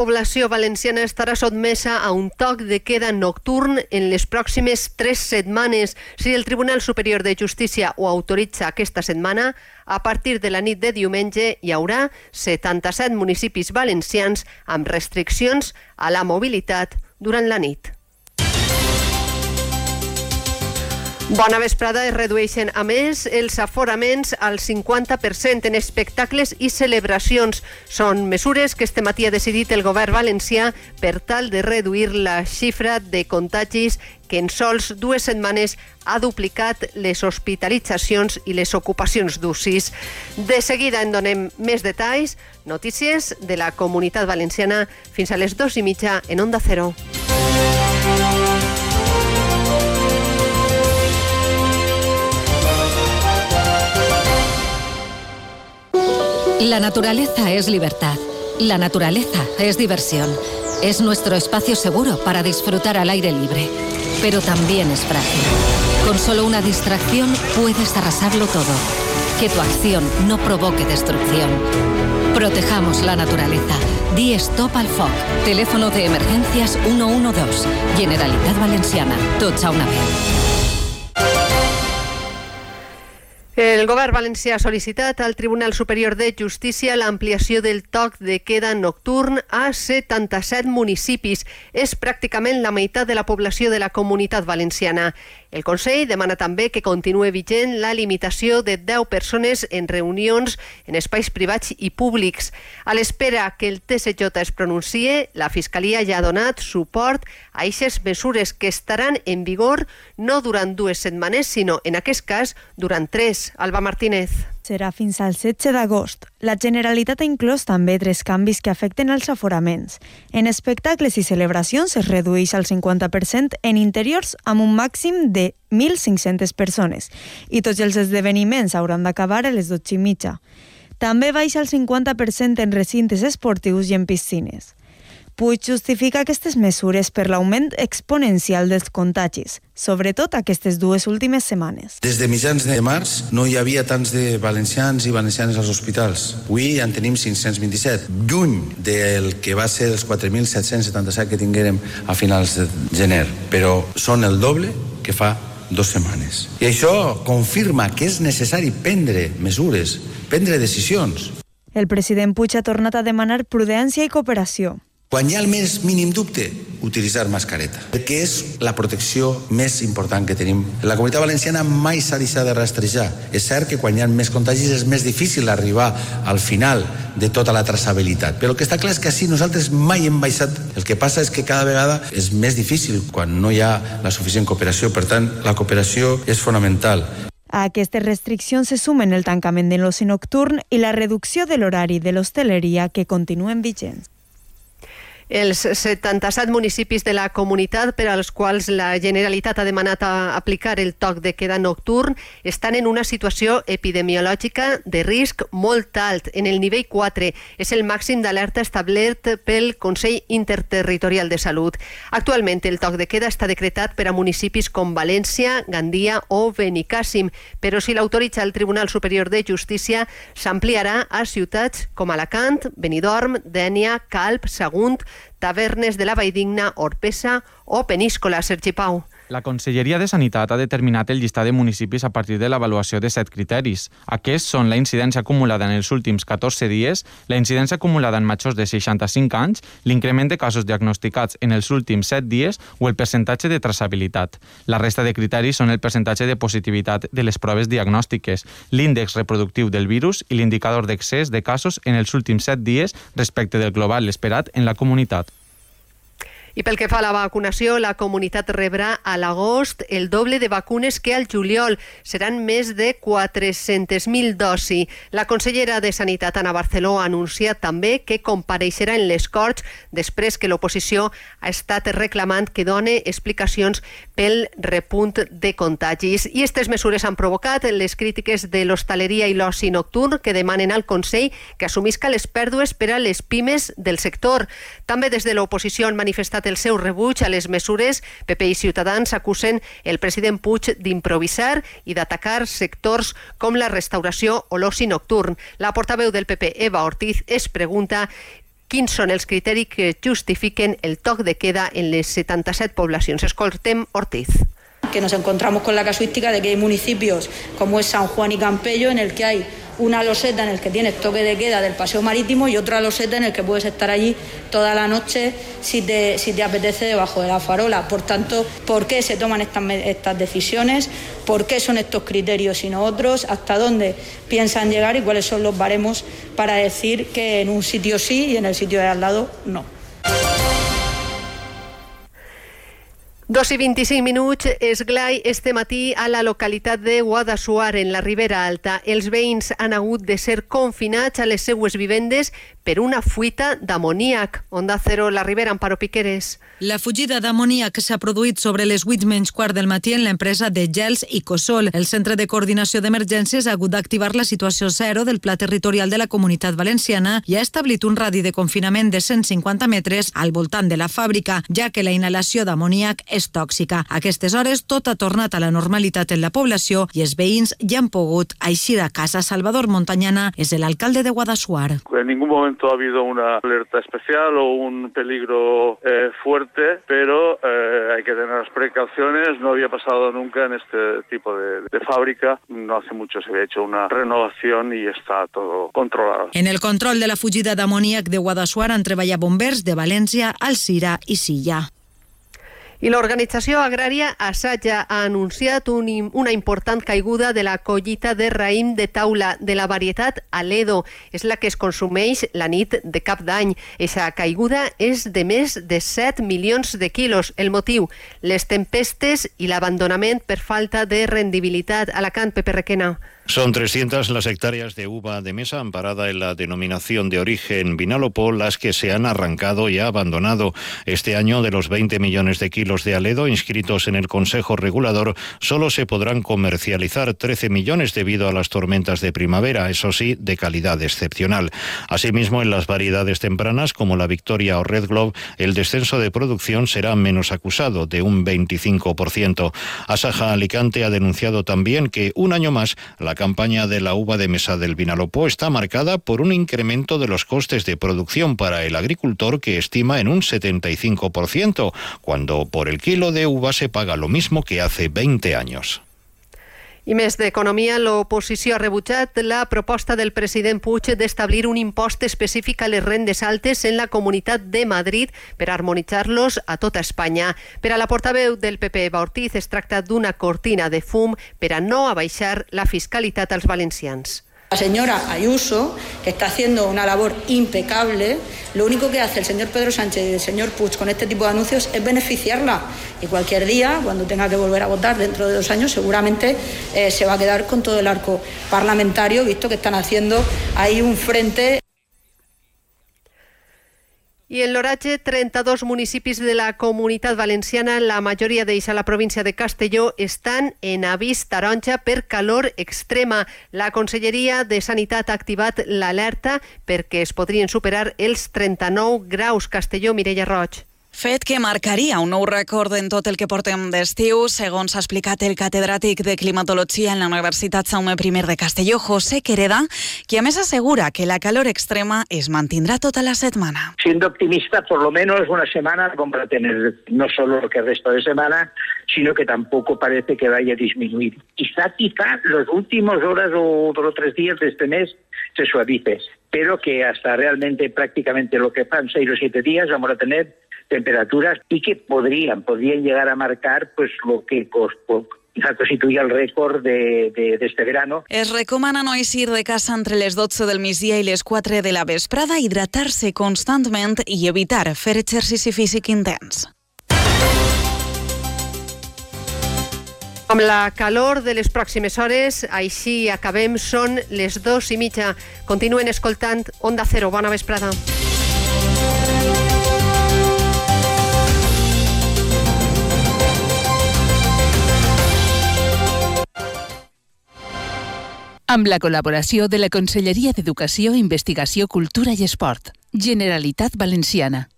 La població valenciana estarà sotmesa a un toc de queda nocturn en les pròximes 3 setmanes. Si el Tribunal Superior de Justícia ho autoritza aquesta setmana, a partir de la nit de diumenge hi haurà 77 municipis valencians amb restriccions a la mobilitat durant la nit. Bona vesprada. Es redueixen, a més, els aforaments al 50% en espectacles i celebracions. Són mesures que este matí ha decidit el govern valencià per tal de reduir la xifra de contagis que en sols 2 setmanes ha duplicat les hospitalitzacions i les ocupacions d'UCIs. De seguida en donem més detalls, notícies de la Comunitat Valenciana fins a les 2:30 en Onda Cero. La naturaleza es libertad. La naturaleza es diversión. Es nuestro espacio seguro para disfrutar al aire libre. Pero también es frágil. Con solo una distracción puedes arrasarlo todo. Que tu acción no provoque destrucción. Protejamos la naturaleza. Di stop al foc. Teléfono de emergencias 112. Generalitat Valenciana. Tots a una vez. El govern valencià ha sol·licitat al Tribunal Superior de Justícia l'ampliació del toc de queda nocturn a 77 municipis. És pràcticament la meitat de la població de la Comunitat Valenciana. El Consell demana també que continue vigent la limitació de 10 persones en reunions en espais privats i públics. A l'espera que el TSJ es pronuncie, la Fiscalia ja ha donat suport a aquestes mesures que estaran en vigor no durant 2 setmanes, sinó, en aquest cas, durant 3. Alba Martínez. Serà fins al 16 d'agost. La Generalitat ha inclòs també 3 canvis que afecten els aforaments. En espectacles i celebracions es redueix al 50%, en interiors amb un màxim de 1.500 persones i tots els esdeveniments hauran d'acabar a les 12:30. També baixa el 50% en recintes esportius i en piscines. Puig justifica aquestes mesures per l'augment exponencial dels contagis, sobretot aquestes 2 últimes setmanes. Des de mitjans de març no hi havia tants de valencians i valencianes als hospitals. Avui ja en tenim 527, lluny del que va ser els 4.777 que tinguérem a finals de gener, però són el doble que fa 2 setmanes. I això confirma que és necessari prendre mesures, prendre decisions. El president Puig ha tornat a demanar prudència i cooperació. Quan hi ha el més mínim dubte, utilitzar mascareta, perquè és la protecció més important que tenim. La Comunitat Valenciana mai s'ha deixat de rastrejar. És cert que quan hi ha més contagis és més difícil arribar al final de tota la traçabilitat, però el que està clar és que així nosaltres mai hem baixat. El que passa és que cada vegada és més difícil quan no hi ha la suficient cooperació. Per tant, la cooperació és fonamental. A aquestes restriccions se sumen el tancament de l'oci nocturn i la reducció de l'horari de l'hostaleria que continuen vigents. Els 77 municipis de la comunitat per als quals la Generalitat ha demanat aplicar el toc de queda nocturn estan en una situació epidemiològica de risc molt alt. En el nivell 4 és el màxim d'alerta establert pel Consell Interterritorial de Salut. Actualment el toc de queda està decretat per a municipis com València, Gandia o Benicàssim, però si l'autoritza el Tribunal Superior de Justícia s'ampliarà a ciutats com Alacant, Benidorm, Dénia, Calp, Sagunt, Tavernes de la Valldigna, Orpesa o Peníscola. Sergi Pau. La Conselleria de Sanitat ha determinat el llistat de municipis a partir de l'avaluació de 7 criteris. Aquests són la incidència acumulada en els últims 14 dies, la incidència acumulada en majors de 65 anys, l'increment de casos diagnosticats en els últims 7 dies o el percentatge de traçabilitat. La resta de criteris són el percentatge de positivitat de les proves diagnòstiques, l'índex reproductiu del virus i l'indicador d'excés de casos en els últims 7 dies respecte del global esperat en la comunitat. I pel que fa a la vacunació, la comunitat rebrà a l'agost el doble de vacunes que al juliol. Seran més de 400.000 dosis. La consellera de Sanitat, Ana Barceló, ha anunciat també que compareixerà en les Corts després que l'oposició ha estat reclamant que doni explicacions pel repunt de contagis. I aquestes mesures han provocat les crítiques de l'hostaleria i l'oci nocturn que demanen al Consell que assumisca les pèrdues per a les pimes del sector. També des de l'oposició han manifestat el seu rebuig a les mesures. PP i Ciutadans acusen el president Puig d'improvisar i d'atacar sectors com la restauració o l'oci nocturn. La portaveu del PP, Eva Ortiz, es pregunta quins són els criteris que justifiquen el toc de queda en les 77 poblacions. Escoltem Ortiz. Que nos encontramos con la casuística de que hay municipios como es San Juan y Campello en el que hay una loseta en el que tienes toque de queda del paseo marítimo y otra loseta en el que puedes estar allí toda la noche si te apetece debajo de la farola. Por tanto, ¿por qué se toman estas decisiones? ¿Por qué son estos criterios y no otros? ¿Hasta dónde piensan llegar y cuáles son los baremos para decir que en un sitio sí y en el sitio de al lado no? 2:25, esglai este matí a la localitat de Guadassuar, en la Ribera Alta. Els veïns han hagut de ser confinats a les seues vivendes per una fuita d'amoníac. Onda Cero, la Ribera, Amparo Piqueres. La fugida d'amoníac s'ha produït sobre les 8:15 del matí en l'empresa de gels Icosol. El Centre de Coordinació d'Emergències ha hagut d'activar la situació zero del Pla Territorial de la Comunitat Valenciana i ha establit un radi de confinament de 150 metres al voltant de la fàbrica, ja que la inhalació d'amoníac és tòxica. A aquestes hores tot ha tornat a la normalitat en la població i els veïns ja han pogut eixir a casa. Salvador Montañana és el alcalde de Guadassuar. En ningún momento ha habido una alerta especial o un peligro fuerte, pero hay que tener las precauciones. No había pasado nunca en este tipo de fábrica. No hace mucho se había hecho una renovación y está todo controlado. En el control de la fugida d'amoníac de Guadassuar han treballat bombers de València, Alzira i Silla. I l'organització agrària Asaja ha anunciat una important caiguda de la collita de raïm de taula de la varietat Aledo. És la que es consumeix la nit de Cap d'Any. Aquesta caiguda és de més de 7 milions de quilos. El motiu, les tempestes i l'abandonament per falta de rendibilitat. Alacant, Pepe Requena. Son 300 las hectáreas de uva de mesa amparada en la denominación de origen Vinalopó, las que se han arrancado y abandonado. Este año, de los 20 millones de kilos de Aledo inscritos en el Consejo Regulador, solo se podrán comercializar 13 millones debido a las tormentas de primavera, eso sí, de calidad excepcional. Asimismo, en las variedades tempranas, como la Victoria o Red Globe, el descenso de producción será menos acusado, de un 25%. Asaja Alicante ha denunciado también que, un año más, la campaña de la uva de mesa del Vinalopó está marcada por un incremento de los costes de producción para el agricultor que estima en un 75%, cuando por el kilo de uva se paga lo mismo que hace 20 años. I més d'economia, l'oposició ha rebutjat la proposta del president Puig d'establir un impost específic a les rendes altes en la Comunitat de Madrid per harmonitzar-los a tota Espanya. Per a la portaveu del PP, Eva Ortiz, es tracta d'una cortina de fum per a no abaixar la fiscalitat als valencians. La señora Ayuso, que está haciendo una labor impecable, lo único que hace el señor Pedro Sánchez y el señor Puig con este tipo de anuncios es beneficiarla. Y cualquier día, cuando tenga que volver a votar dentro de 2 años, seguramente se va a quedar con todo el arco parlamentario, visto que están haciendo ahí un frente. I en l'oratge, 32 municipis de la Comunitat Valenciana, la majoria d'ells a la província de Castelló, estan en avís taronja per calor extrema. La Conselleria de Sanitat ha activat l'alerta perquè es podrien superar els 39 graus. Castelló, Mireia Roig. Fet que marcaria un nou rècord en tot el que portem d'estiu, segons ha explicat el catedràtic de climatologia en la Universitat Jaume I de Castelló, José Quereda, que a més assegura que la calor extrema es mantindrá toda la semana. Siendo optimista, por lo menos una semana como para tener no solo lo que resta de semana, sino que tampoco parece que vaya a disminuir. Quizá los últimos horas o 2 o 3 días de este mes se suavice, pero que hasta realmente prácticamente lo que van 6 o 7 días vamos a tener temperaturas y que podrían llegar a marcar pues lo que constituye el récord de este verano. Es recomana no eixir de casa entre les 12 del migdia i les 4 de la vesprada, hidratar-se constantment i evitar fer exercici físic intens. Amb la calor de les pròximes hores, així acabem, són les 2:30. Continuen escoltant Onda Cero. Bona vesprada. Amb la col·laboració de la Conselleria d'Educació, Investigació, Cultura i Esport. Generalitat Valenciana.